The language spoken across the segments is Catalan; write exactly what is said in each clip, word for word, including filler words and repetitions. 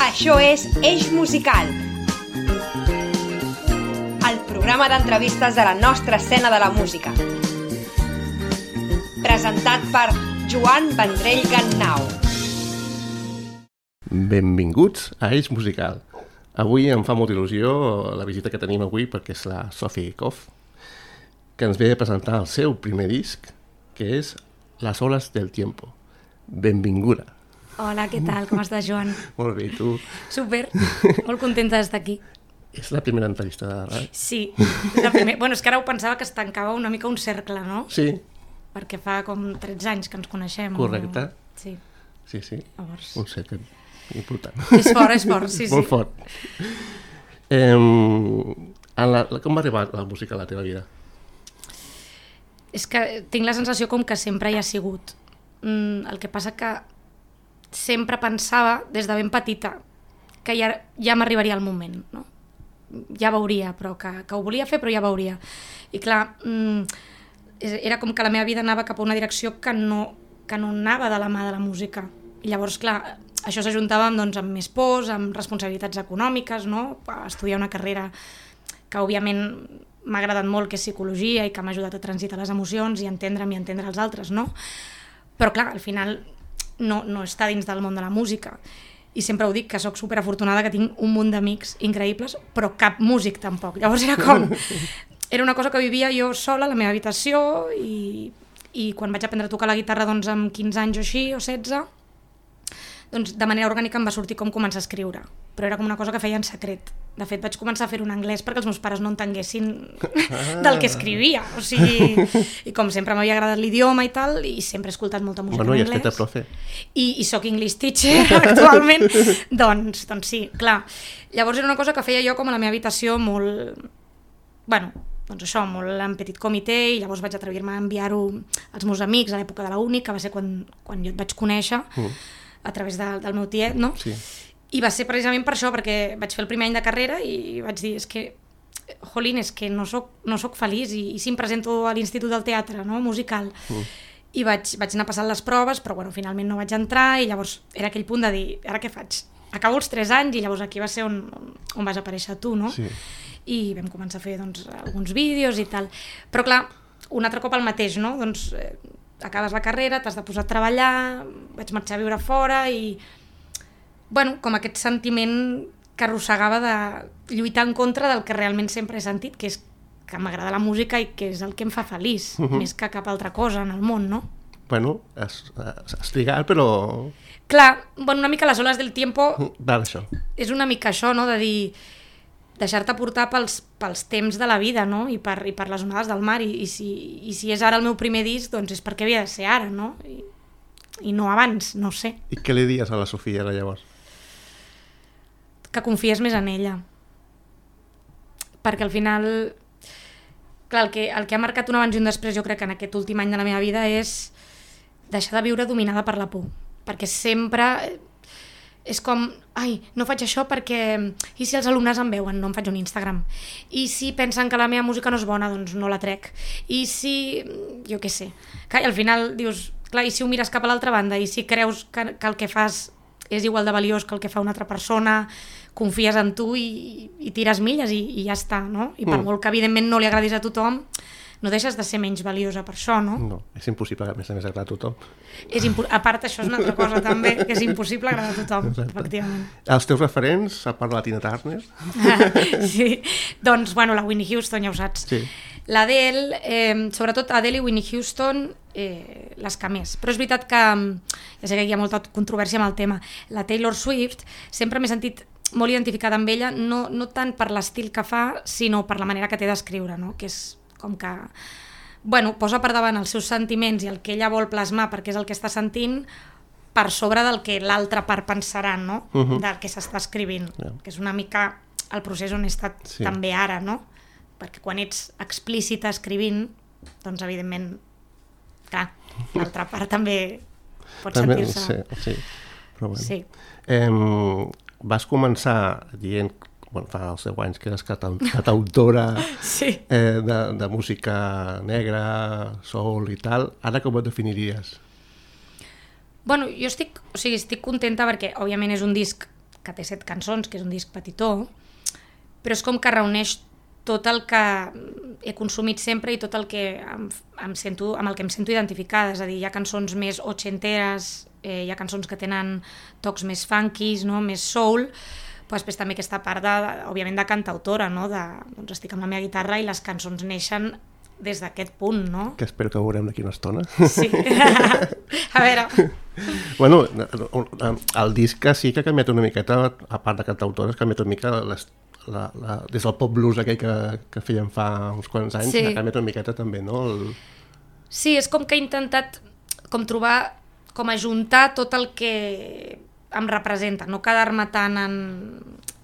Això és Eix Musical, el programa d'entrevistes de la nostra escena de la música. Presentat per Joan Vendrell Gannau. Benvinguts a Eix Musical. Avui em fa molta il·lusió la visita que tenim avui perquè és la Sophie Koff, que ens ve a presentar el seu primer disc, que és Las olas del tiempo. Benvinguda. Hola, què tal? Com estàs, Joan? Molt bé, i tu? Super, molt contenta d'estar aquí. És la primera entrevista de ràdio? Sí, és la primera. Bueno, és que ara ho pensava que es tancava una mica un cercle, no? Sí. Perquè fa com tretze anys que ens coneixem. Correcte. O... Sí. Sí, sí, Llavors... un cercle important. És fort, és fort, sí, sí. Molt fort. Eh, en la, com va arribar la música a la teva vida? És que tinc la sensació com que sempre hi ha sigut. Mm, el que passa que sempre pensava, des de ben petita, que ja, ja m'arribaria el moment, no? Ja veuria, però que, que ho volia fer, però ja veuria. I clar, mm, era com que la meva vida anava cap a una direcció que no, que no anava de la mà de la música. I llavors, clar, això s'ajuntava amb, doncs, amb més pors, amb responsabilitats econòmiques, no? Estudiar una carrera que, òbviament, m'ha agradat molt, que és psicologia i que m'ha ajudat a transitar les emocions i entendre'm i entendre els altres, no? Però clar, al final no, no està dins del món de la música. I sempre ho dic, que sóc superafortunada, que tinc un munt d'amics increïbles, però cap músic tampoc. Llavors era com... Era una cosa que vivia jo sola a la meva habitació i, i quan vaig aprendre a tocar la guitarra, doncs, amb quinze anys o així, o setze, doncs de manera orgànica em va sortir com començar a escriure. Però era com una cosa que feia en secret. De fet, vaig començar a fer-ho en anglès perquè els meus pares no entenguessin ah. del que escrivia. O sigui, i com sempre m'havia agradat l'idioma i tal, i sempre he escoltat molta música bueno, en anglès. Bueno, i has fet a profe. I, i soc English teacher actualment. doncs, doncs sí, clar. Llavors era una cosa que feia jo com a la meva habitació molt... Bueno, doncs això, molt en petit comitè, i llavors vaig atrevir-me a enviar-ho als meus amics a l'època de la uni, que va ser quan, quan jo et vaig conèixer, mm. a través de, del meu tiet, no? Sí. I va ser precisament per això, perquè vaig fer el primer any de carrera i vaig dir, és que, jolín, és que no soc, no soc feliç, i, i sí em presento a l'Institut del Teatre, no?, musical, mm. i vaig, vaig anar passant les proves, però bueno, finalment no vaig entrar, i llavors era aquell punt de dir, ara què faig? Acabo els tres anys, i llavors aquí va ser on, on vas aparèixer tu, no? Sí. I vam començar a fer, doncs, alguns vídeos i tal. Però clar, un altre cop el mateix, no? Doncs eh, acabes la carrera, t'has de posar a treballar, vaig marxar a viure fora i... Bueno, com aquest sentiment que arrossegava de lluitar en contra del que realment sempre he sentit, que és que m'agrada la música i que és el que em fa feliç, uh-huh. més que cap altra cosa en el món, no? Bueno, has, has trigat, però... Clar, bueno, una mica les oles del tiempo... Va, això. És una mica això, no?, de dir... deixar-te portar pels, pels temps de la vida, no?, i per, i per les onades del mar, i, i, si, i si és ara el meu primer disc, doncs és perquè havia de ser ara, no?, i, i no abans, no sé. I què li dies a la Sofia, ara, llavors? Que confies més en ella, perquè al final, clar, el que, el que ha marcat un abans i un després, jo crec que en aquest últim any de la meva vida, és deixar de viure dominada per la por, perquè sempre és com, ai, no faig això perquè, i si els alumnes em veuen, no em faig un Instagram, i si pensen que la meva música no és bona, doncs no la trec, i si, jo què sé, clar, i al final dius, clar, i si ho mires cap a l'altra banda, i si creus que, que el que fas és igual de valiós que el que fa una altra persona, confies en tu i, i tires milles i, i ja està, no? I per mm. molt que evidentment no li agradis a tothom, no deixes de ser menys valiosa per això, no? No, és impossible que a més a més agrada a tothom. És impo- a part, això és una altra cosa també, que és impossible agradar a tothom, exacte. Efectivament. Els teus referents, a part de la Tina Turner? sí, doncs, bueno, la Whitney Houston, ja ho saps. Sí. L'Adele, eh, sobretot Adele i Whitney Houston, eh, les que més. Però és veritat que, ja sé que hi ha molta controvèrsia amb el tema, la Taylor Swift, sempre m'he sentit molt identificada amb ella, no, no tant per l'estil que fa, sinó per la manera que té d'escriure, no?, que és com que, bueno, posa per davant els seus sentiments i el que ella vol plasmar perquè és el que està sentint per sobre del que l'altra part pensarà, no?, uh-huh. del que s'està escrivint, yeah. que és una mica el procés on he estat sí. també ara, no?, perquè quan ets explícita escrivint, doncs evidentment, clar, l'altra part també pot també, sentir-se... Sí, sí, però bueno. Sí. Eh, vas començar dient, bueno, fa els deu anys que eres cantautora sí. eh, de, de música negra, soul i tal, ara com et definiries? Bueno, jo estic, o sigui, estic contenta perquè, òbviament, és un disc que té set cançons, que és un disc petitó, però és com que reuneix tot el que he consumit sempre i tot el que em, em sento, amb el que em sento identificada. És a dir, hi ha cançons més ochenteres, eh, hi ha cançons que tenen tocs més funkis, no? Més soul, però després també aquesta part, de, òbviament, de cantautora, no? De, doncs estic amb la meva guitarra i les cançons neixen des d'aquest punt, no? Que espero que veurem d'aquí una estona. Sí. A veure... Bueno, el disc sí que ha canviat una miqueta, a part de cantautora, ha canviat una mica les, la, la, des del pop blues aquell que, que feien fa uns quants anys, sí. Ha canviat una miqueta també, no? El... Sí, és com que he intentat com trobar, com ajuntar tot el que em representa, no quedar-me tant en...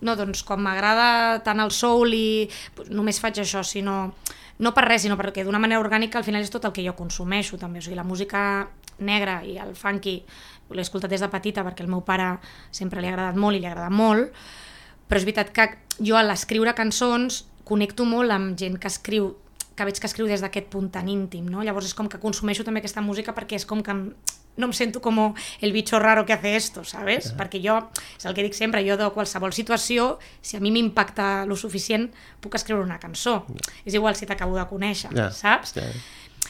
No, doncs com m'agrada tant el soul i pues, només faig això, sinó... No per res, sinó perquè d'una manera orgànica al final és tot el que jo consumeixo també, o sigui, la música negra i el funky l'he escoltat des de petita perquè al meu pare sempre li ha agradat molt i li ha agradat molt, però és veritat que jo a l'escriure cançons connecto molt amb gent que escriu, que veig que escriu des d'aquest punt tan íntim, no? Llavors és com que consumeixo també aquesta música perquè és com que em, no em sento com el bicho raro que hace esto, ¿sabes? Yeah. Perquè jo, és el que dic sempre, jo de qualsevol situació, si a mi m'impacta lo suficient, puc escriure una cançó. Yeah. És igual si t'acabo de conèixer, yeah. Saps? Yeah.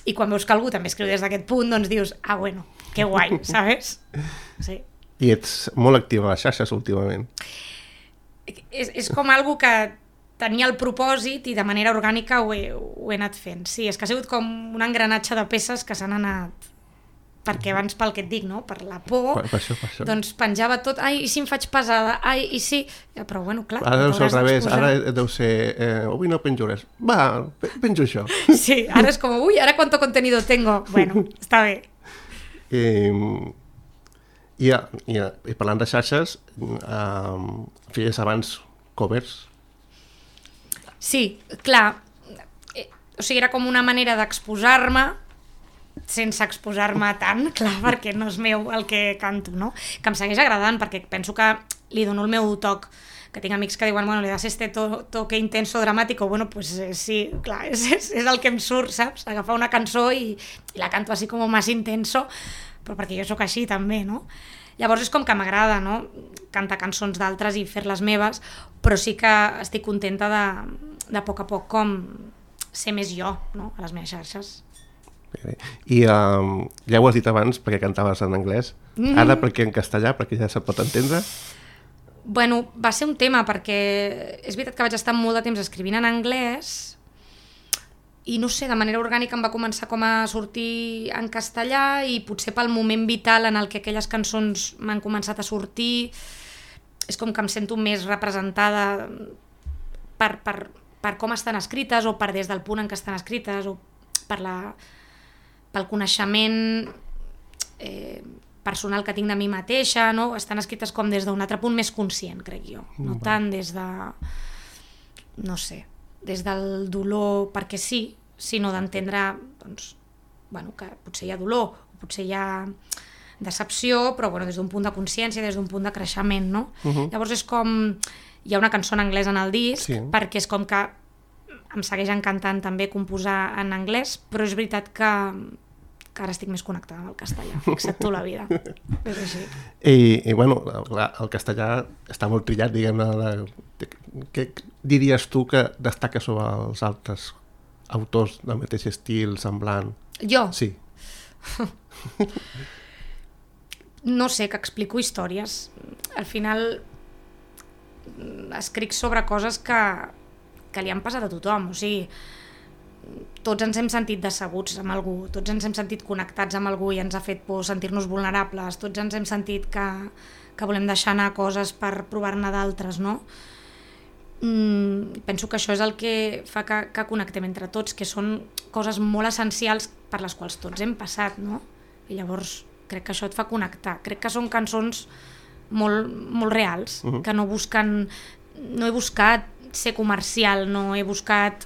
I quan veus que algú també escriu des d'aquest punt, doncs dius, ah, bueno, que guai, ¿sabes? Sí. I ets molt activa a les xarxes últimament. És, és com algo que tenia el propòsit i de manera orgànica ho he, ho he anat fent. Sí, és que ha sigut com un engranatge de peces que s'han anat... Perquè abans, pel que et dic, no? Per la por, per, per això, per això. Doncs penjava tot, ai, i si em faig pesada, ai, i si... Però bueno, clar... Ara deu ser al revés, ara deu ser, eh, avui no penjo res, va, penjo això. Sí, ara és com, ui, ara quanto contenido tengo, bueno, està bé. I, i, i, i parlant de xarxes, eh, feies abans covers? Sí, clar, eh, o sigui, era com una manera d'exposar-me, sense exposar-me tant, clar, perquè no és meu el que canto, no? Que em segueix agradant, perquè penso que li dono el meu toc, que tinc amics que diuen, bueno, le das este to toque intenso, dramàtic, bueno, pues eh, sí, clar, és, és, és el que em surt, saps? Agafar una cançó i, i la canto així com més intenso, però perquè jo sóc així també, no? Llavors és com que m'agrada, no? Cantar cançons d'altres i fer-les meves, però sí que estic contenta de, de a poc a poc com ser més jo, no? A les meves xarxes. I um, ja ho has dit abans perquè cantaves en anglès, mm. Ara perquè en castellà, perquè ja se't pot entendre? Bueno, va ser un tema perquè és veritat que vaig estar molt de temps escrivint en anglès i no sé, de manera orgànica em va començar com a sortir en castellà i potser pel moment vital en el que aquelles cançons m'han començat a sortir és com que em sento més representada per, per, per com estan escrites o per des del punt en què estan escrites o per la... pel coneixement eh, personal que tinc de mi mateixa, no? Estan escrites com des d'un altre punt més conscient, crec jo, no mm. tant des de, no sé, des del dolor perquè sí, sinó d'entendre doncs, bueno, que potser hi ha dolor, o potser hi ha decepció, però bueno, des d'un punt de consciència, des d'un punt de creixement, no? Uh-huh. Llavors és com, hi ha una cançó en anglès en el disc, sí. Perquè és com que em segueix encantant també composar en anglès, però és veritat que, que ara estic més connectada amb el castellà, excepto la vida. És així. I, i bueno, el castellà està molt trillat, diguem-ne. Què diries tu que destaca sobre els altres autors del mateix estil, semblant? Jo? Sí. No sé, que explico històries. Al final escric sobre coses que que li han passat a tothom, o sigui, tots ens hem sentit decebuts amb algú, tots ens hem sentit connectats amb algú i ens ha fet por sentir-nos vulnerables, tots ens hem sentit que, que volem deixar anar coses per provar-ne d'altres, no? Mm, penso que això és el que fa que, que connectem entre tots, que són coses molt essencials per les quals tots hem passat, no? I llavors crec que això et fa connectar, crec que són cançons molt, molt reals, uh-huh. Que no busquen, no he buscat ser comercial, no he buscat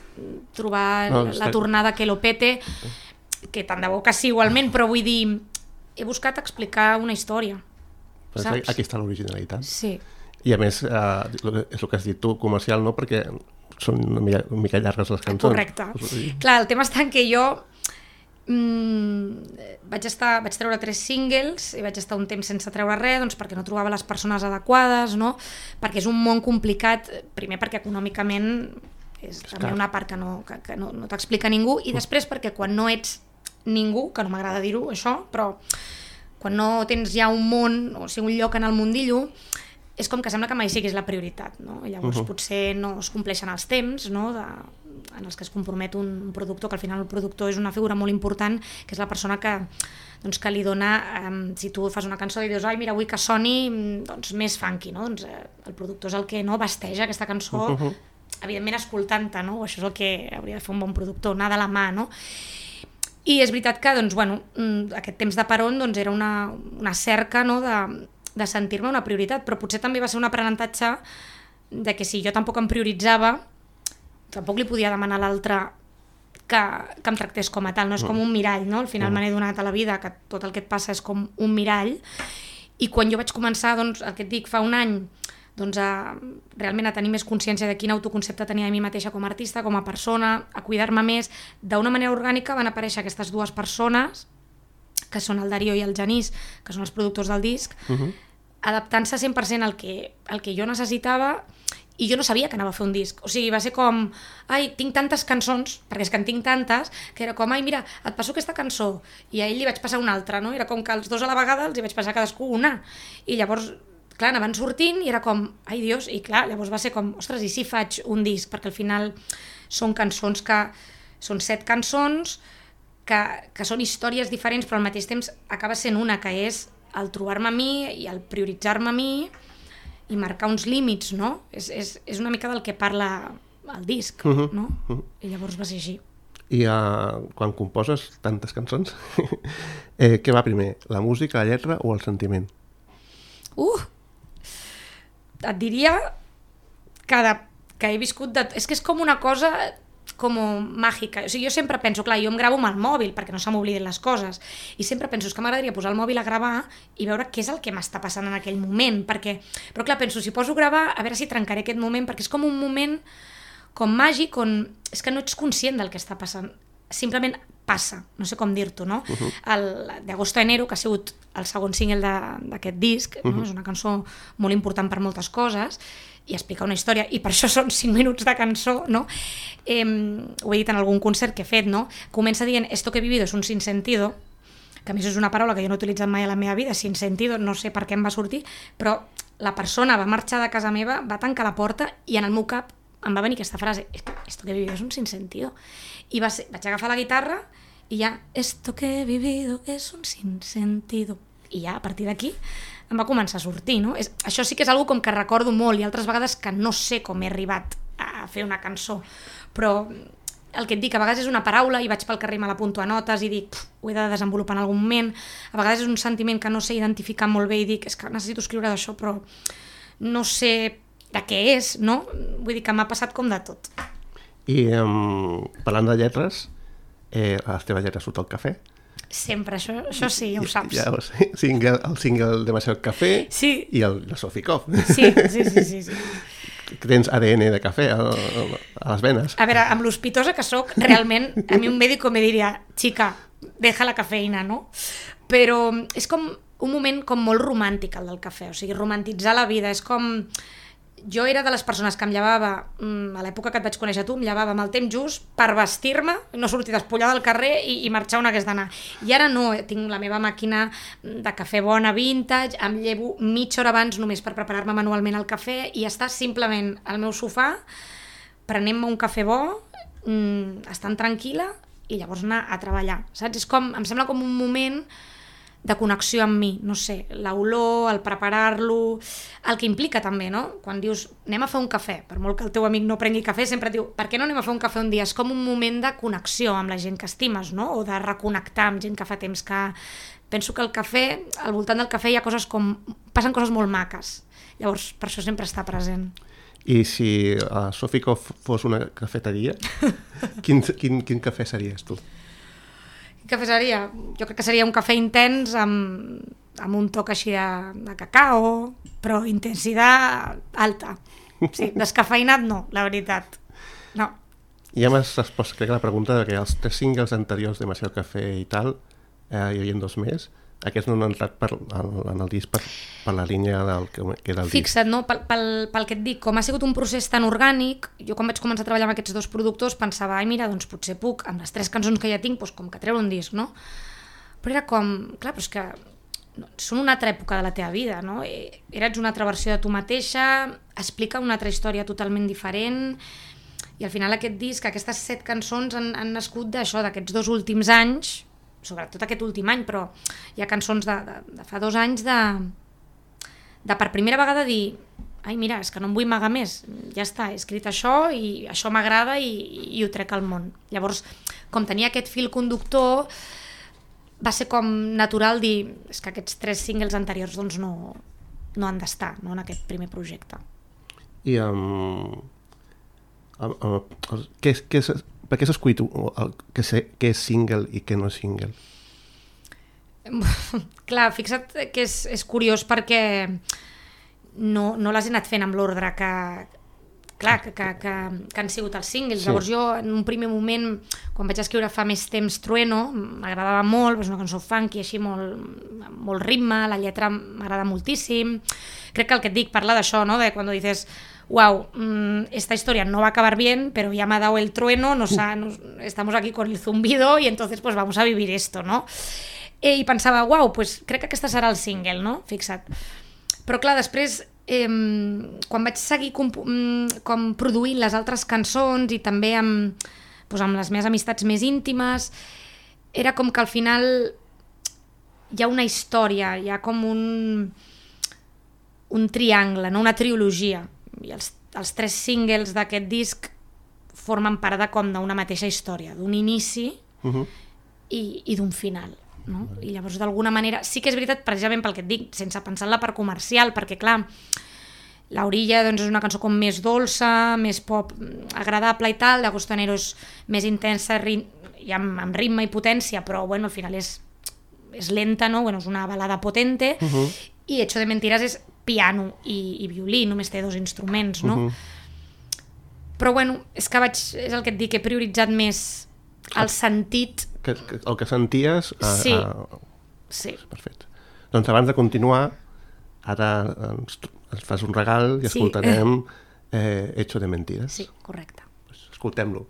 trobar no, la tornada que lo pete, que tant de bo que sí igualment, però vull dir, he buscat explicar una història, però saps? Aquí està l'originalitat. Sí. I a més, eh, és el que has dit tu, comercial no, perquè són una mica, una mica llargues les cançons. Correcte. Clar, el tema està en que jo mm, vaig, estar, vaig treure tres singles i vaig estar un temps sense treure res, doncs perquè no trobava les persones adequades, no? Perquè és un món complicat, primer perquè econòmicament és també una part que no, que, que no, no t'explica ningú, i després perquè quan no ets ningú, que no m'agrada dir-ho això, però quan no tens ja un món, o sigui un lloc en el mundillo, és com que sembla que mai siguis la prioritat, no? I llavors uh-huh. potser no es compleixen els temps, no? De, en els que es compromet un productor, que al final el productor és una figura molt important, que és la persona que, doncs, que li dona, um, si tu fas una cançó i dius, ai, mira, vull que soni doncs, més funky, no? Doncs eh, el productor és el que no vesteja aquesta cançó, uh-huh. evidentment escoltant-te, no? Això és el que hauria de fer un bon productor, anar de la mà, no? I és veritat que, doncs, bueno, aquest temps de peron doncs, era una, una cerca, no? de, de sentir-me una prioritat, però potser també va ser un aprenentatge de que si jo tampoc em prioritzava, tampoc li podia demanar a l'altre que, que em tractés com a tal, no és com un mirall, no? Al final mm. me n'he donat a la vida que tot el que et passa és com un mirall, i quan jo vaig començar, doncs, el que et dic, fa un any, doncs a, realment a tenir més consciència de quin autoconcepte tenia de mi mateixa com a artista, com a persona, a cuidar-me més, d'una manera orgànica van aparèixer aquestes dues persones, que són el Darío i el Genís, que són els productors del disc, uh-huh. adaptant-se cent per cent al que, al que jo necessitava, i jo no sabia que anava a fer un disc. O sigui, va ser com, ai, tinc tantes cançons, perquè és que en tinc tantes, que era com, ai, mira, et passo aquesta cançó, i a ell li vaig passar una altra, no? Era com que els dos a la vegada els hi vaig passar a cadascú una. I llavors, clar, anaven sortint i era com, ai, Dios, i clar, llavors va ser com, ostres, i si faig un disc? Perquè al final són cançons que, són set cançons, que, que són històries diferents, però al mateix temps acaba sent una, que és el trobar-me a mi i el prioritzar-me a mi, i marcar uns límits, no? És, és, és una mica del que parla el disc, uh-huh. no? Uh-huh. I llavors va ser així. I uh, quan composes tantes cançons, eh, què va primer? La música, la lletra o el sentiment? Uh! Et diria que, de, que he viscut... De, és que és com una cosa com màgica. O sigui, jo sempre penso, clar, jo em gravo amb el mòbil perquè no se m'oblidin les coses, i sempre penso que m'agradaria posar el mòbil a gravar i veure què és el que m'està passant en aquell moment, perquè, però clar, penso, si poso a gravar, a veure si trencaré aquest moment, perquè és com un moment com màgic on és que no ets conscient del que està passant, simplement passa, no sé com dir-t'ho, no? Uh-huh. El d'Agosto a Enero, que ha sigut el segon single d'aquest disc, uh-huh. no? És una cançó molt important per moltes coses, i explica una història, i per això són cinc minuts de cançó, no? Eh, ho he dit en algun concert que he fet, no? Comença dient, esto que he vivido es un sinsentido, que a més és una paraula que jo no he utilitzat mai a la meva vida, sinsentido, no sé per què em va sortir, però la persona va marxar de casa meva, va tancar la porta, i en el meu cap em va venir aquesta frase, esto que he vivido es un sinsentido. I va ser, vaig agafar la guitarra, i ja, esto que he vivido es un sinsentido. I ja, a partir d'aquí, em va començar a sortir, no? És, això sí que és una com que recordo molt, i altres vegades que no sé com he arribat a fer una cançó, però el que et dic, a vegades és una paraula i vaig pel carrer i me l'apunto a notes i dic, ho he de desenvolupar en algun moment, a vegades és un sentiment que no sé identificar molt bé i dic, és que necessito escriure d'això, però no sé de què és, no? Vull dir que m'ha passat com de tot. I um, parlant de lletres, eh, a les teves lletres surt el cafè? Sempre, això, això sí, ja ho saps. Ja, ja, single, el single Demasiado Café sí. I el de Sophie Koff. Sí, sí, sí, sí, sí. Tens A D N de cafè a, a les venes. A veure, amb l'hospitosa que sóc, realment, a mi un mèdico me diria, chica, deja la cafeïna, no? Però és com un moment com molt romàntic, el del cafè, o sigui, romantitzar la vida, és com... Jo era de les persones que em llevava, a l'època que et vaig conèixer tu, em llevava amb el temps just per vestir-me, no sortir despullada al carrer i, i marxar on hagués d'anar. I ara no, tinc la meva màquina de cafè bona vintage, em llevo mitja hora abans només per preparar-me manualment el cafè i estar simplement al meu sofà, prenent-me un cafè bo, estant tranquil·la i llavors anar a treballar, saps? És com, em sembla com un moment de connexió amb mi, no sé, l'olor, el preparar-lo, el que implica també, no? Quan dius, anem a fer un cafè, per molt que el teu amic no prengui cafè, sempre et diu, per què no anem a fer un cafè un dia? És com un moment de connexió amb la gent que estimes, no? O de reconnectar amb gent que fa temps que... Penso que el cafè, al voltant del cafè hi ha coses com... passen coses molt maques, llavors per això sempre està present. I si uh, Sophie Koff fos una cafeteria, quin, quin, quin cafè series tu? Quin cafè seria? Jo crec que seria un cafè intens amb, amb un toc així de, de cacao, però intensitat alta. Sí, descafeïnat no, la veritat. No. Ja m'has respost, crec, a la pregunta de que els tres singles anteriors de Demasiado Café i tal, eh, hi havia dos més, aquests no han entrat per, en el disc per, per la línia del que, que era el disc. Fixa't, no? Pel, pel, pel que et dic, com ha sigut un procés tan orgànic, jo quan vaig començar a treballar amb aquests dos productors pensava, ai mira, doncs potser puc, amb les tres cançons que ja tinc, doncs com que treure un disc, no? Però era com, clar, però és que no, són una altra època de la teva vida, no? Eres una altra versió de tu mateixa, explica una altra història totalment diferent, i al final aquest disc, aquestes set cançons han, han nascut d'això, d'aquests dos últims anys, sobretot aquest últim any, però hi ha cançons de, de, de fa dos anys de, de per primera vegada dir ai mira, és que no em vull amagar més, ja està, he escrit això i això m'agrada i, i ho trec al món. Llavors, com tenia aquest fil conductor, va ser com natural dir és que aquests tres singles anteriors doncs no, no han d'estar, no, en aquest primer projecte. I um, um, um, què, què és... Per què s'ha escollit què és single i què no és single? Clar, fixa't que és, és curiós perquè no, no les he anat fent amb l'ordre que, clar, que, que, que, que han sigut els singles. Sí. Llavors jo, en un primer moment, quan vaig escriure fa més temps Trueno, m'agradava molt, és una cançó funky, així molt, molt ritme, la lletra m'agrada moltíssim. Crec que el que et dic parla d'això, ¿no? De quan dices... wow, mmm, esta historia no va a acabar bien, pero ya me ha dado el trueno, nos ha, nos, estamos aquí con el zumbido y entonces pues vamos a vivir esto, no? Eh, I pensava, wow, pues crec que aquesta serà el single, no? Fixa't. Però clar, després, eh, quan vaig seguir com, com produint les altres cançons i també amb, pues, amb les meves amistats més íntimes, era com que al final hi ha una història, hi ha com un, un triangle, no? Una trilogia. I els, els tres singles d'aquest disc formen part de com d'una mateixa història, d'un inici uh-huh. i, i d'un final, no? Uh-huh. I llavors d'alguna manera, sí que és veritat precisament pel que et dic, sense pensar en la part comercial, perquè clar, l'Orilla doncs, és una cançó com més dolça, més pop agradable i tal, de Costanero és més intensa ri, i amb, amb ritme i potència, però bueno, al final és, és lenta, no? Bueno, és una balada potente, uh-huh. i Hecho de Mentiras és piano i, i violí, només té dos instruments, no? Uh-huh. Però bueno, és que vaig, és el que et dic, he prioritzat més el sentit... Que, que, el que senties... A, sí, a... sí. Perfecte. Doncs abans de continuar, ara ens, ens fas un regal i escoltarem sí. eh, Hecho de Mentiras. Sí, correcte. Pues escoltem-lo.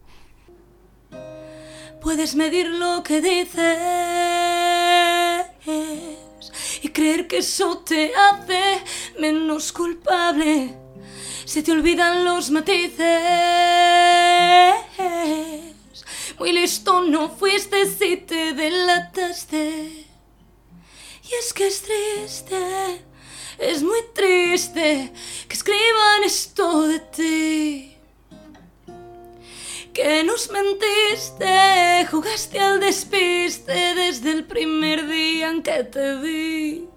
Puedes medir lo que dices y creer que eso te hace menos culpable. Se te olvidan los matices. Muy listo no fuiste si te delataste. Y es que es triste, es muy triste que escriban esto de ti. Que nos mentiste, jugaste al despiste desde el primer día en que te vi.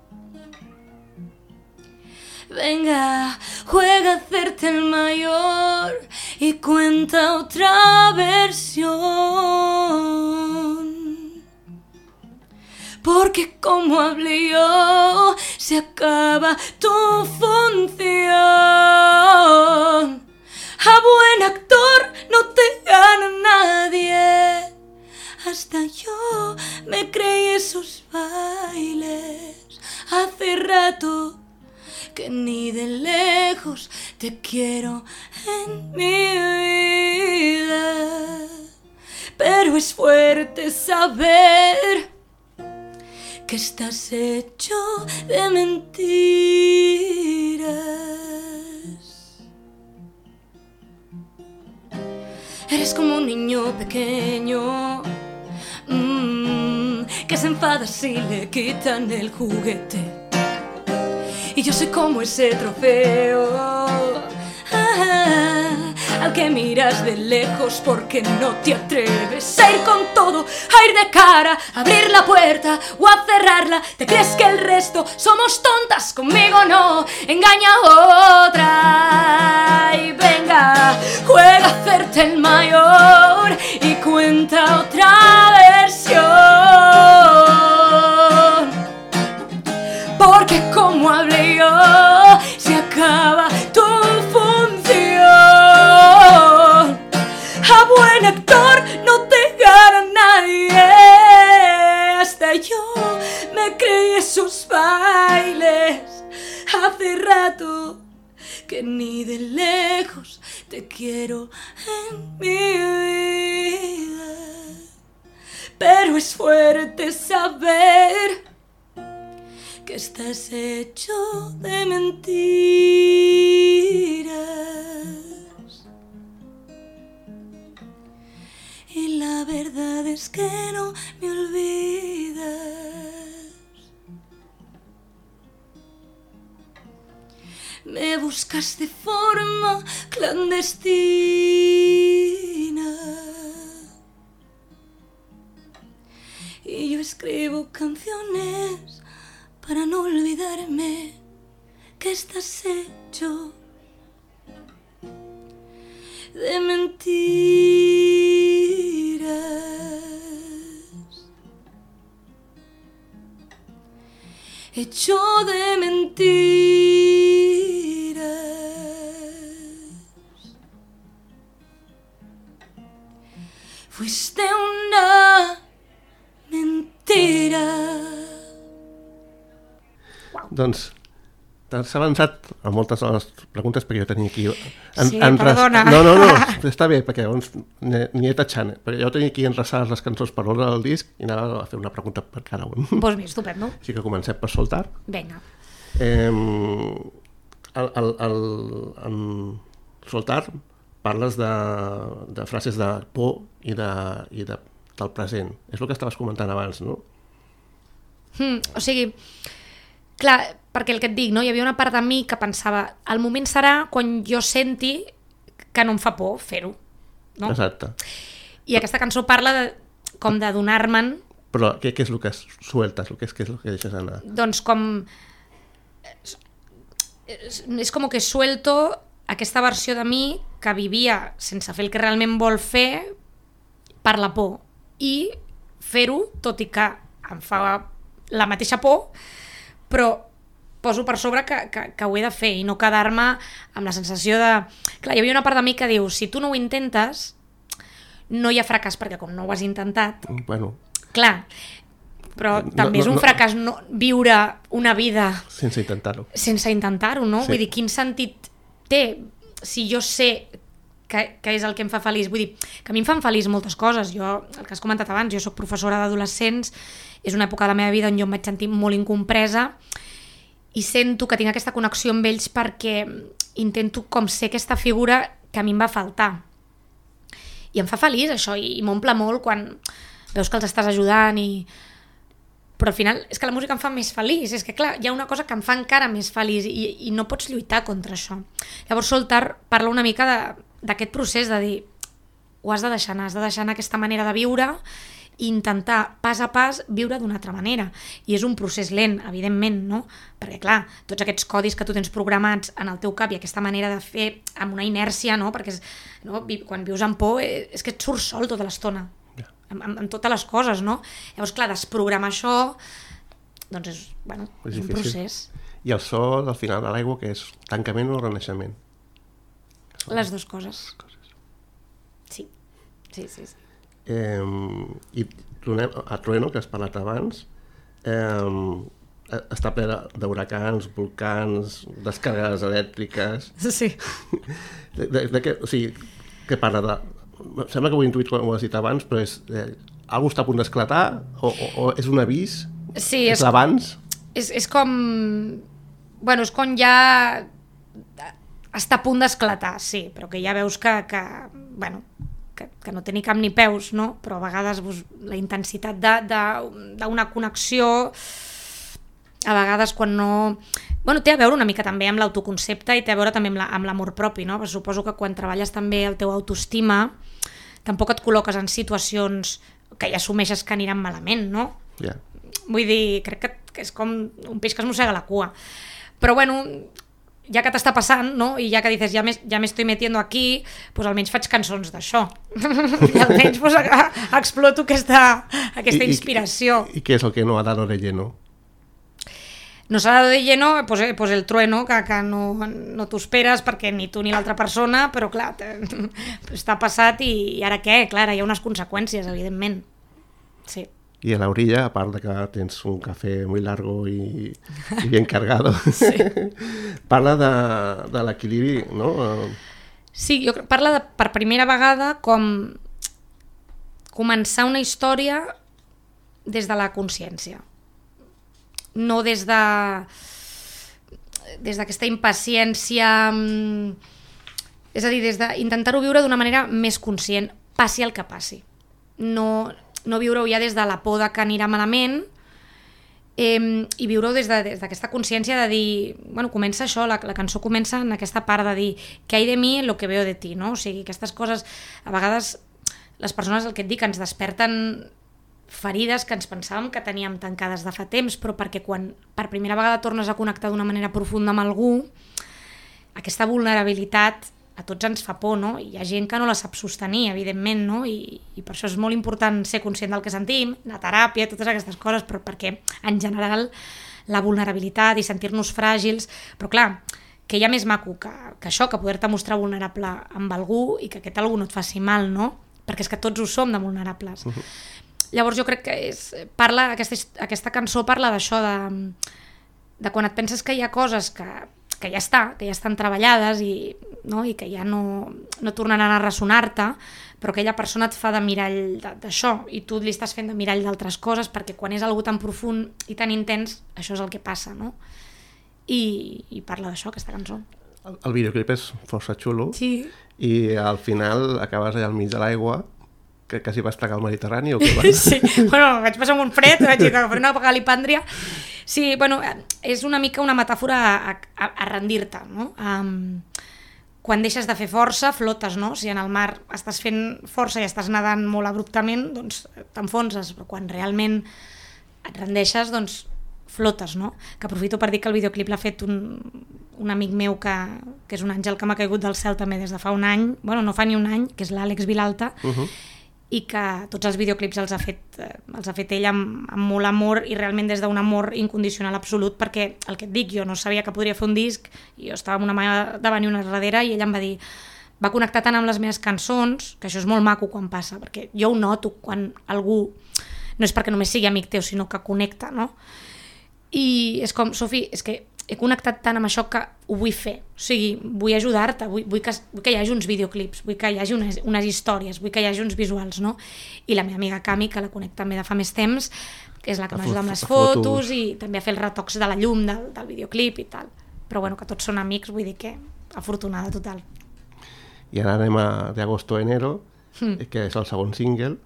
Venga, juega a hacerte el mayor y cuenta otra versión. Porque como hablé yo, se acaba tu función. A buen actor no te gana nadie. Hasta yo me creí esos bailes. Hace rato que ni de lejos te quiero en mi vida. Pero es fuerte saber que estás hecho de mentiras. Eres como un niño pequeño mmm, que se enfada si le quitan el juguete. Y yo soy como ese trofeo ah, al que miras de lejos porque no te atreves a ir con todo, a ir de cara, a abrir la puerta o a cerrarla. ¿Te crees que el resto somos tontas? Conmigo no, engaña a otra. Y venga, juega a hacerte el mayor y cuenta otra versión. Porque como hablé yo, se acaba tu función. A buen que ni de lejos te quiero en mi vida. Pero es fuerte saber que estás hecho de mentiras. Y la verdad es que no me olvidas. Me buscas de forma clandestina y yo escribo canciones para no olvidarme que estás hecho de mentiras, hecho de mentiras. Fuiste una mentira. Doncs t'has avançat a moltes de les preguntes perquè jo tenia aquí... En, sí, en perdona. No, no, no, està bé, perquè llavors n'hi he tatxant, perquè jo tenia aquí enreçades les cançons per ordre del disc i anava a fer una pregunta per cada un. Pues bé, estupendo. Així que comencem per Soltar. Vinga. Eh, el, el, el, en Soltar parles de, de frases de por i, de, i de, del present. És el que estaves comentant abans, no? Mm, o sigui, clar, perquè el que et dic, no? Hi havia una part de mi que pensava el moment serà quan jo senti que no em fa por fer-ho, no? Exacte. I aquesta cançó parla de, com de donar-me'n. Però què, què és el que sueltes? Què és, què és el que deixes anar? Doncs com... És, és com que suelto aquesta versió de mi que vivia sense fer el que realment vol fer per la por. I fer-ho, tot i que em fa la mateixa por, però poso per sobre que, que, que ho he de fer i no quedar-me amb la sensació de... Clar, hi havia una part de mi que diu, si tu no ho intentes, no hi ha fracàs, perquè com no ho has intentat... Bueno... Clar, però no, també no, és un no, fracàs no, viure una vida... Sense intentar-ho. Sense intentar-ho, no? Sí. Vull dir, quin sentit té si jo sé que, que és el que em fa feliç? Vull dir, que a mi em fan feliç moltes coses. Jo, el que has comentat abans, jo soc professora d'adolescents, és una època de la meva vida on jo em vaig sentir molt incompresa i sento que tinc aquesta connexió amb ells perquè intento com ser aquesta figura que a mi em va faltar. I em fa feliç això, i, i m'omple molt quan veus que els estàs ajudant i... Però al final és que la música em fa més feliç, és que clar, hi ha una cosa que em fa encara més feliç i, i no pots lluitar contra això. Llavors Soltar parla una mica d'aquest procés de dir ho has de deixar anar, has de deixar anar aquesta manera de viure i intentar pas a pas viure d'una altra manera. I és un procés lent, evidentment, no? Perquè clar, tots aquests codis que tu tens programats en el teu cap i aquesta manera de fer amb una inèrcia, no? Perquè és, no? Quan vius amb por és que et surt sol tota l'estona. Amb, amb, amb totes les coses, no? Llavors, clar, desprogramar això, doncs és, bueno, és, és un procés. I el so del final de l'aigua, que és tancament o renaixement? Les dues coses. Les coses. Sí, sí, sí. sí. Eh, I tornem a Trueno, que has parlat abans, eh, està ple d'huracans, volcans, descàrregues elèctriques... Sí. De, de, de què, o sigui, què parla de... Sembla que ho he intuït quan ho has dit abans, però és... Eh, algú està a punt d'esclatar? O, o, o és un avís? Sí, és, és l'abans? És, és com... Bueno, és quan ja està a punt d'esclatar, sí, però que ja veus que, que bueno, que, que no té ni cap ni peus, no? Però a vegades pues, la intensitat d'una connexió, a vegades quan no... Bueno, té a veure una mica també amb l'autoconcepte i té a veure també amb l'amor propi, no? Però suposo que quan treballes també el teu autoestima, tampoc et col·loques en situacions que ja assumeixes que aniran malament, no? Yeah. Vull dir, crec que, que és com un peix que es mossega la cua. Però bueno, ja que t'està passant, no? I ja que dices, ja me, ja me estoy metiendo aquí, pues almenys faig cançons d'això. I almenys pues, a, a exploto aquesta, aquesta I, inspiració. I, I què és el que no ha dado de lleno? No s'ha dado de lleno pues, pues el trueno, que, que no, no t'ho esperes perquè ni tu ni l'altra persona, però clar, està passat i, i ara què? Clar, hi ha unes conseqüències, evidentment. Sí. I a la orilla, a part de que tens un cafè muy largo i, i bien cargado, sí. Parla de, de l'equilibri, no? Sí, jo crec, parla de, per primera vegada com començar una història des de la consciència. No des de des d'aquesta impaciència, és a dir, des d'intentar-ho viure d'una manera més conscient, passi el que passi. No, no viure-ho ja des de la por de que anirà malament, eh, i viure-ho des d'aquesta de, consciència de dir, bueno, comença això, la, la cançó comença en aquesta part de dir que hay de mi lo que veo de ti, no? O sigui, aquestes coses, a vegades les persones, el que et dic, ens desperten ferides que ens pensàvem que teníem tancades de fa temps, però perquè quan per primera vegada tornes a connectar d'una manera profunda amb algú, aquesta vulnerabilitat a tots ens fa por, no? I hi ha gent que no la sap sostenir, evidentment, no? I, i per això és molt important ser conscient del que sentim, la teràpia, totes aquestes coses, però perquè en general la vulnerabilitat i sentir-nos fràgils, però clar, que hi ha més maco que, que això, que poder-te mostrar vulnerable amb algú i que aquest algú no et faci mal, no? Perquè és que tots ho som de vulnerables. Uh-huh. Llavors jo crec que és, parla, aquesta, aquesta cançó parla d'això, de, de quan et penses que hi ha coses que, que ja està, que ja estan treballades i, no, i que ja no, no tornaran a ressonar-te, però aquella persona et fa de mirall d'això i tu li estàs fent de mirall d'altres coses perquè quan és algú tan profund i tan intens, això és el que passa, no? I, i parla d'això, aquesta cançó. El, el videoclip és força xulo, sí. I al final acabes allà al mig de l'aigua, que quasi vas plegar al Mediterrani o què vas? Sí, bueno, vaig passar un fred, vaig agafar una galipàndria. Sí, bueno, és una mica una metàfora a, a, a rendir-te, no? Um, quan deixes de fer força, flotes, no? Si en el mar estàs fent força i estàs nedant molt abruptament, doncs t'enfonses, però quan realment et rendeixes, doncs flotes, no? Que aprofito per dir que el videoclip l'ha fet un, un amic meu que, que és un àngel que m'ha caigut del cel també des de fa un any, bueno, no fa ni un any, que és l'Àlex Vilalta, uh-huh. I que tots els videoclips els ha fet, eh, els ha fet ell amb, amb molt amor i realment des d'un amor incondicional absolut, perquè el que et dic, jo no sabia que podria fer un disc i jo estava amb una mà davant i una darrere i ell em va dir, va connectar tant amb les meves cançons, que això és molt maco quan passa, perquè jo ho noto quan algú, no és perquè només sigui amic teu, sinó que connecta, no? I és com, Sofi, és que he connectat tant amb això que ho vull fer, o sigui, vull ajudar-te, vull, vull, que, vull que hi hagi uns videoclips, vull que hi hagi unes, unes històries, vull que hi hagi uns visuals, no? I la meva amiga Cami, que la conec també de fa més temps, que és la que m'ajuda amb les fotos, fotos i també a fer els retocs de la llum del, del videoclip i tal. Però bueno, que tots són amics, vull dir que afortunada total. I ara anem a De agosto a enero, mm. que és el segon single,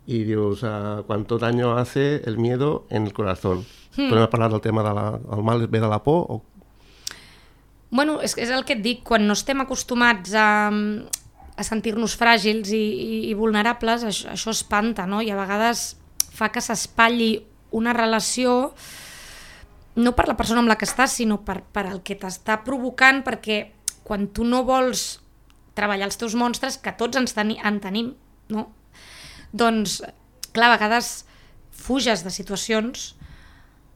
i dius, uh, cuánto daño hace el miedo en el corazón. Mm. Podem parlar del tema del de mal ve de la por? O... Bueno, és, és el que et dic, quan no estem acostumats a, a sentir-nos fràgils i, i, i vulnerables, això, això espanta, no? I a vegades fa que s'espatlli una relació no per la persona amb la que estàs, sinó per, per el que t'està provocant, perquè quan tu no vols treballar els teus monstres, que tots ens teni, en tenim, no? Doncs, clar, a vegades fuges de situacions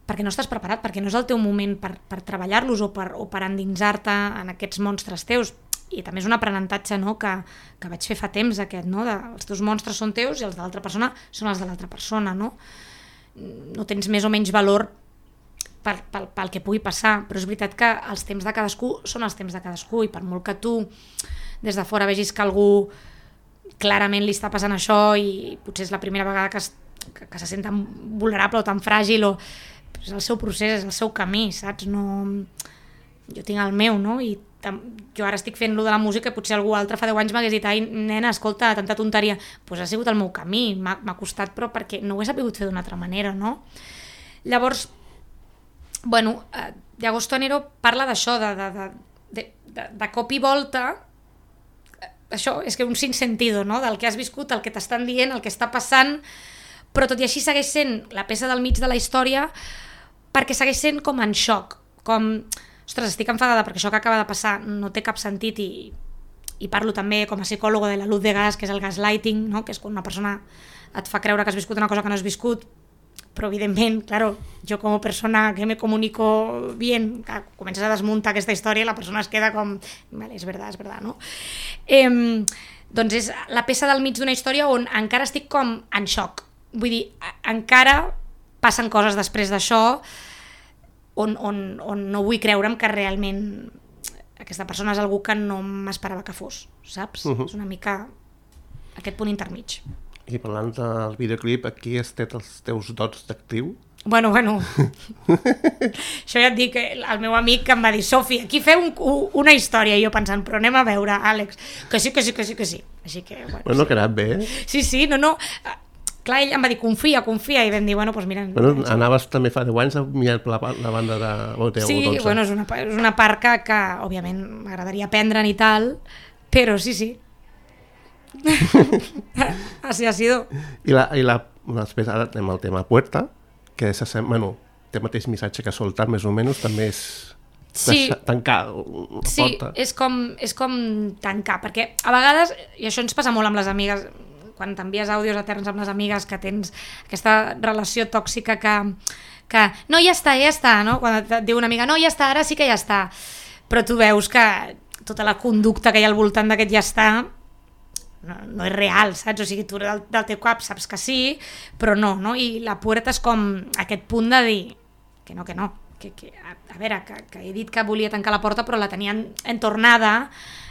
perquè no estàs preparat, perquè no és el teu moment per, per treballar-los o per, o per endinsar-te en aquests monstres teus. I també és un aprenentatge, no?, que, que vaig fer fa temps aquest, no?, de, els teus monstres són teus i els de l'altra persona són els de l'altra persona, no? No tens més o menys valor pel, pel, pel que pugui passar, però és veritat que els temps de cadascú són els temps de cadascú i per molt que tu des de fora vegis que algú clarament li està passant això i potser és la primera vegada que, es, que, que se sent tan vulnerable o tan fràgil, o és el seu procés, és el seu camí, saps? No... Jo tinc el meu, no? I tam... jo ara estic fent lo de la música i potser algú altre fa deu anys m'hagués dit, ai, nena, escolta, tanta tonteria. Doncs pues ha sigut el meu camí, m'ha costat, però perquè no ho he sabut fer d'una altra manera, no? Llavors, bueno, De agosto a enero parla d'això, de, de, de, de, de, de cop i volta, això és que un sinsentido, no? Del que has viscut, el que t'estan dient, el que està passant, però tot i així segueix sent la peça del mig de la història perquè segueix sent com en xoc, com, ostres, estic enfadada perquè això que acaba de passar no té cap sentit i, i parlo també com a psicòlogo de la luz de gas, que és el gaslighting, no? Que és quan una persona et fa creure que has viscut una cosa que no has viscut, però evidentment, claro, jo com a persona que me comunico bien, que comences a desmuntar aquesta història i la persona es queda com, vale, és verdad, és verdad, no? Eh, doncs és la peça del mig d'una història on encara estic com en xoc, vull dir, encara passen coses després d'això on, on, on no vull creure'm que realment aquesta persona és algú que no m'esperava que fos, saps? Uh-huh. És una mica aquest punt intermig. I parlant del videoclip, aquí has tret els teus dots d'actriu? Bueno, bueno, això ja et dic, el meu amic que em va dir, Sofi, aquí feu un, una història, i jo pensant, però anem a veure, Àlex, que sí, que sí, que sí, que sí. Així que, bueno, bueno, sí. Ha quedat bé, eh? Sí, sí, no, no, clar, ell em va dir, confia, confia, i vam dir, bueno, doncs mira... Bueno, anaves també fa deu anys a mirar la, la banda de Boteu, sí, dotze. Bueno, és una, és una part que, que òbviament, m'agradaria aprendre'n i tal, però sí, sí. Así ha sido. I, la, i la, després ara anem al tema Puerta, que és, bueno, té el mateix missatge que soltar, més o menys, també és sí. tancar la sí, porta. Sí, és com, és com tancar, perquè a vegades, i això ens passa molt amb les amigues, quan t'envies àudios eterns amb les amigues, que tens aquesta relació tòxica que, que no, ja està, ja està, no? Quan et diu una amiga, no, ja està, ara sí que ja està, però tu veus que tota la conducta que hi ha al voltant d'aquest ja està no, no és real, saps? O sigui, tu del, del teu cap saps que sí, però no, no? I la Puerta és com aquest punt de dir que no, que no, que, que, a, a veure, que, que he dit que volia tancar la porta però la tenien entornada,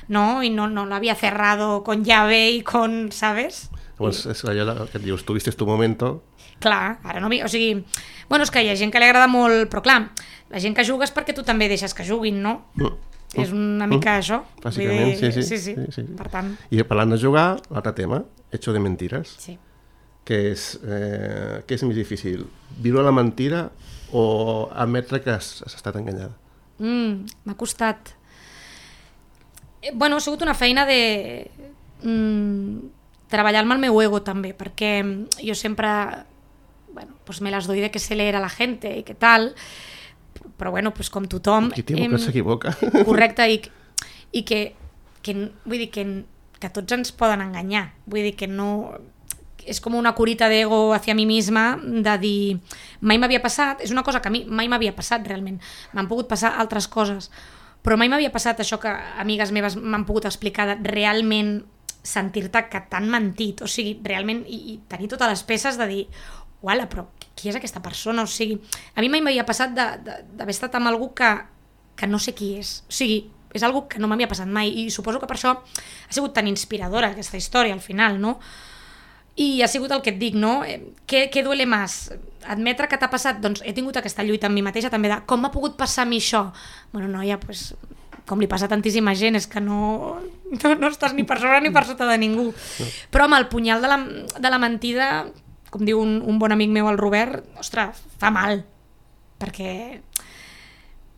no? I no, no l'havia cerrado con llave i con, ¿sabes? Pues és allò que et dius, tuviste tu momento. Clar, ara no... O sigui, bueno, és que hi ha gent que li agrada molt, però clar, la gent que juga és perquè tu també deixes que juguin, no? Mm. És una mica mm. això. Bàsicament, sí sí. Sí, sí. sí, sí. Per tant... I parlant de jugar, l'altre tema, hecho de mentiras. Sí. Que és, eh, què és més difícil? Viure la mentira o admetre que has, has estat enganyada? Mm, m'ha costat. Eh, bueno, ha sigut una feina de... Mm, treballar-me el meu ego també, perquè jo sempre bueno, pues me las doy de que se leer a la gente i que tal, però bueno, pues com tothom... Qui t'equivoca s'equivoca. Correcte, i, i que, que, vull dir que, que tots ens poden enganyar, vull dir que no... És com una curita d'ego hacia mi misma, de dir, mai m'havia passat, és una cosa que a mi mai m'havia passat realment, m'han pogut passar altres coses, però mai m'havia passat això que amigues meves m'han pogut explicar de realment sentir-te que t'han mentit, o sigui, realment, i, i tenir totes les peces de dir, uala, però qui és aquesta persona? O sigui, a mi mai m'havia passat d'haver estat amb algú que, que no sé qui és, o sigui, és algo que no m'havia passat mai, i suposo que per això ha sigut tan inspiradora aquesta història al final, no? I ha sigut el que et dic, no? Què, què duele més? Admetre que t'ha passat? Doncs he tingut aquesta lluita amb mi mateixa també de com m'ha pogut passar a mi això? Bueno, noia, doncs, com li passa a tantíssima gent, és que no, no, no estàs ni per sobre ni per sota de ningú. Però amb el punyal de la, de la mentida, com diu un, un bon amic meu, el Robert, ostres, fa mal. Perquè...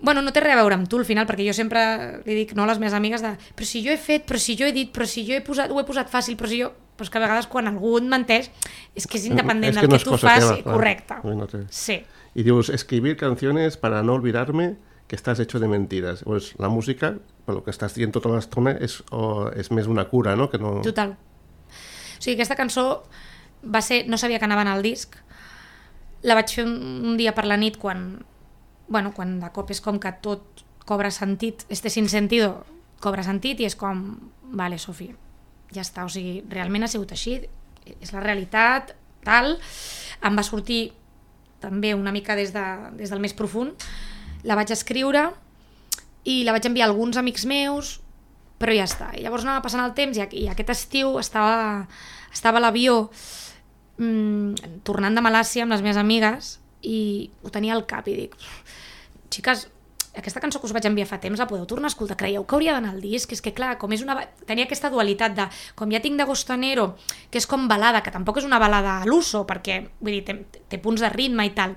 Bueno, no té res a veure amb tu al final, perquè jo sempre li dic no a les meves amigues de però si jo he fet, però si jo he dit, però si jo he posat, ho he posat fàcil, però si jo... Però que a vegades quan algú et menteix és que és independent es que del no que tu fas, teva, correcte. No te... Sí. Y dius, escribir canciones para no olvidarme que estás hecho de mentiras. Pues la música, per lo que estàs dient tota l'estona, és, o, és més una cura, no? Que no... Total. O sigui, aquesta cançó va ser... No sabia que anava en el disc. La vaig fer un, un dia per la nit quan... Bueno, quan de cop és com que tot cobra sentit, este sin sentido cobra sentit i és com, vale, Sofia, ja està, o sigui, realment ha sigut així, és la realitat, tal, em va sortir també una mica des, de, des del més profund, la vaig escriure i la vaig enviar a alguns amics meus, però ja està, i llavors anava passant el temps i, i aquest estiu estava, estava a l'avió mmm, tornant de Malàcia amb les meves amigues i ho tenia al cap i dic, xiques, aquesta cançó que us vaig enviar fa temps la podeu tornar a escoltar, creieu que hauria d'anar al disc? És que clar, com és una... tenia aquesta dualitat de, com ja tinc d'Agostanero, que és com balada, que tampoc és una balada a l'uso, perquè vull dir, té, té punts de ritme i tal,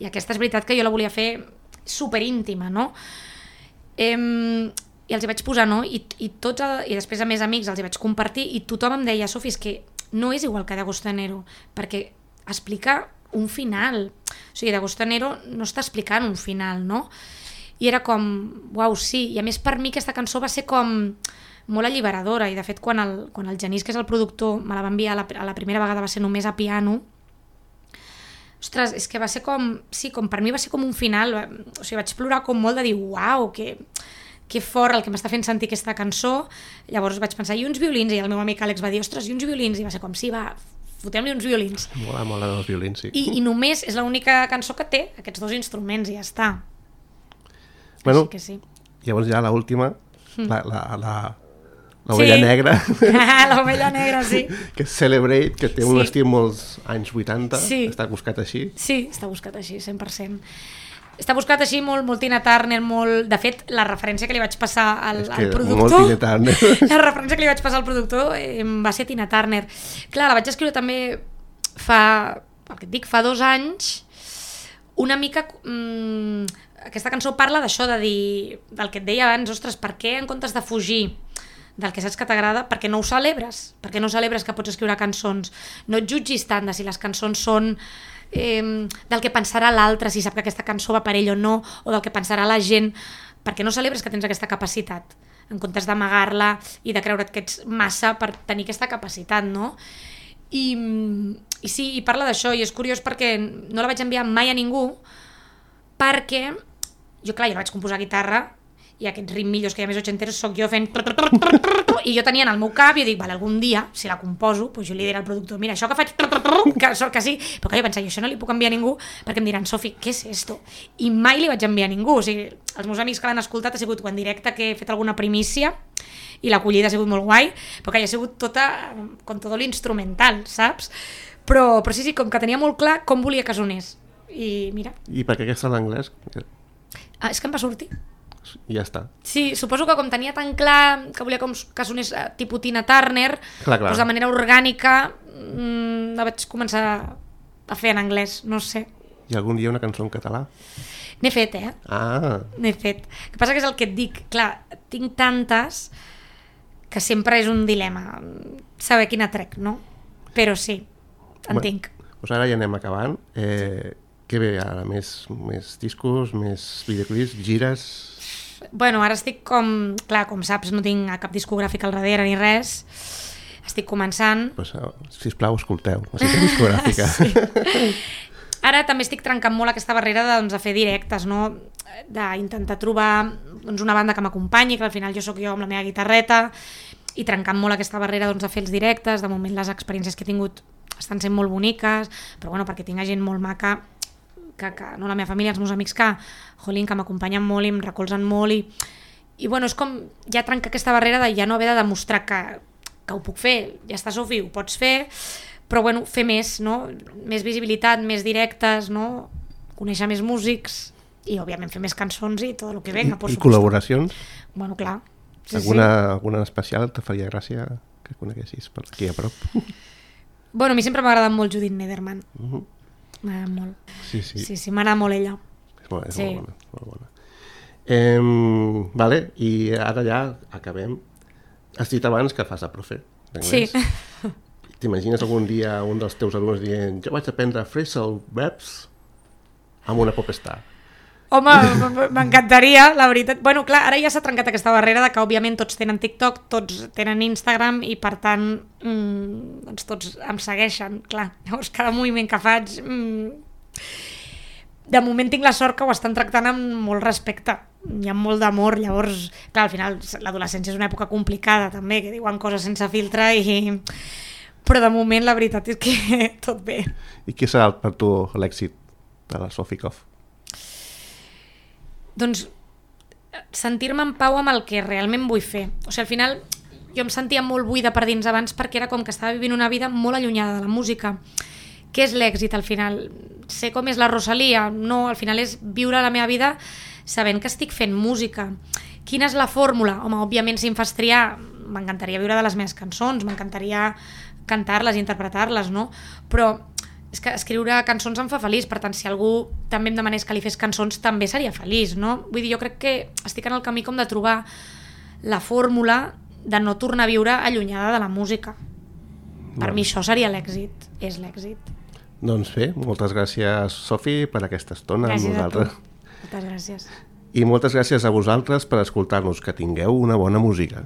i aquesta és veritat que jo la volia fer superíntima, no? Ehm, i els hi vaig posar, no? I, i, tots el, i després a més amics els hi vaig compartir i tothom em deia, Sofi, és que no és igual que d'Agostanero, perquè explica un final, o sigui, d'Agostanero no està explicant un final, no? I era com, uau, sí, i a més per mi aquesta cançó va ser com molt alliberadora, i de fet quan el, quan el Genís, que és el productor, me la va enviar a la, a la primera vegada va ser només a piano, ostres, és que va ser com, sí, com per mi va ser com un final, o sigui, vaig plorar com molt de dir, uau, que, que fort el que m'està fent sentir aquesta cançó, llavors vaig pensar, i uns violins, i el meu amic Àlex va dir, ostres, i uns violins, i va ser com, sí, va, fotem-li uns violins. Mola, mola els violins, sí. I, i només és l'única cançó que té aquests dos instruments i ja està. Bueno, Així que sí. Llavors ja l'última, la, la, la, l'ovella Sí. negra, L'ovella negra, sí. que és Celebrate, que té un Sí. estil molts anys vuitanta, Sí. està buscat així. Sí, està buscat així, cent per cent. Està buscat així molt, molt Tina Turner, molt... De fet, la referència que li vaig passar al, És que al productor... molt Tina Turner. La referència que li vaig passar al productor eh, va ser Tina Turner. Clar, la vaig escriure també fa... El que et dic, fa dos anys. Una mica... Mm, aquesta cançó parla d'això, de dir... Del que et deia abans, ostres, per què en comptes de fugir del que saps que t'agrada, perquè no ho celebres? Per què no celebres que pots escriure cançons? No et jutgis tant de si les cançons són... Eh, del que pensarà l'altre, si sap que aquesta cançó va per ell o no, o del que pensarà la gent, perquè no celebres que tens aquesta capacitat, en comptes d'amagar-la i de creure't que ets massa per tenir aquesta capacitat, no? I, i sí, i parla d'això, i és curiós perquè no la vaig enviar mai a ningú, perquè jo, clar, jo la vaig composar a guitarra, i aquests ritmillos que hi ha més ochenteros soc jo fent... I jo tenia en el meu cap i jo dic, vale, algun dia, si la composo, doncs jo li diré al productor, mira, això que faig... Que sort que sí, però clar, jo pensava, jo això no li puc enviar a ningú, perquè em diran, Sofi, què és esto? I mai li vaig enviar a ningú, o sigui, els meus amics que l'han escoltat ha sigut en directe que he fet alguna primícia, i l'acollida ha sigut molt guai, però que hi ha sigut tota, com tot l'instrumental, saps? Però, però sí, sí, com que tenia molt clar com volia que sonés. I mira... I per què aquesta en anglès? Ah, és que em va sortir. I ja està. Sí, suposo que com tenia tan clar que volia com que sonés eh, tipus Tina Turner, Clar, clar. doncs de manera orgànica mmm, la vaig començar a fer en anglès, no sé. I algun dia una cançó en català? N'he fet, eh? Ah, N'he fet. El que passa que és el que et dic, clar, tinc tantes que sempre és un dilema saber quina trec, no? Però sí, en Bé, tinc. doncs ara ja anem acabant. Eh, què ve ara? Més, més discos, més videoclips, gires... Bueno, ara estic com... Clar, com saps, no tinc cap discogràfic al darrere ni res. Estic començant. Pues, sisplau, escolteu, la cita discogràfica. Sí. Ara també estic trencant molt aquesta barrera de, doncs, de fer directes, no? D'intentar trobar doncs, una banda que m'acompanyi, que al final jo sóc jo amb la meva guitarreta, i trencant molt aquesta barrera doncs, de fer els directes. De moment les experiències que he tingut estan sent molt boniques, però bueno, perquè tinc gent molt maca, que, que no la meva família, els meus amics que, jolín, que m'acompanyen molt i em recolzen molt, i, i bueno, és com ja trencar aquesta barrera de ja no haver de demostrar que, que ho puc fer. Ja està, Sofi, ho pots fer, però bueno, fer més, no? Més visibilitat, més directes, no? Conèixer més músics i, òbviament, fer més cançons i tot el que venga. I, i col·laboracions? Bueno, clar. Sí, alguna, sí. alguna especial te faria gràcia que coneguessis per aquí a prop? Bueno, a mi sempre m'ha agradat molt Judith Nederman. Uh-huh. M'agrada molt. Sí, sí. Sí, sí, m'agrada molt ella. És molt, és Sí. molt bona. Molt bona. Eh, vale, i ara ja acabem. Has dit abans que fas de profe d'anglès. Sí. T'imagines algun dia un dels teus alumnes dient jo vaig aprendre phrasal verbs amb una popstar? Home, m'encantaria, la veritat. Bueno, clar, ara ja s'ha trencat aquesta barrera de que, òbviament, tots tenen TikTok, tots tenen Instagram i, per tant, mmm, doncs tots em segueixen, clar. Llavors, cada moviment que faig... Mmm, de moment tinc la sort que ho estan tractant amb molt respecte. Hi ha molt d'amor, llavors, clar, al final l'adolescència és una època complicada, també, que diuen coses sense filtre i... Però de moment la veritat és que tot bé. I què serà per tu l'èxit de la Sofi Koff? Doncs sentir-me en pau amb el que realment vull fer. O sigui, al final jo em sentia molt buida per dins abans perquè era com que estava vivint una vida molt allunyada de la música. Què és l'èxit al final? Sé com és la Rosalia? No, al final és viure la meva vida sabent que estic fent música. Quina és la fórmula? Home, òbviament si em fas triar, m'encantaria viure de les meves cançons, m'encantaria cantar-les i interpretar-les, no? Però és que escriure cançons em fa feliç, per tant, si algú també em demanés que li fes cançons, també seria feliç, no? Vull dir, jo crec que estic en el camí com de trobar la fórmula de no tornar a viure allunyada de la música. Per mi això seria l'èxit, és l'èxit. Doncs bé, moltes gràcies, Sofi, per aquesta estona Gràcies amb nosaltres. a tu. Moltes gràcies. I moltes gràcies a vosaltres per escoltar-nos. Que tingueu una bona música.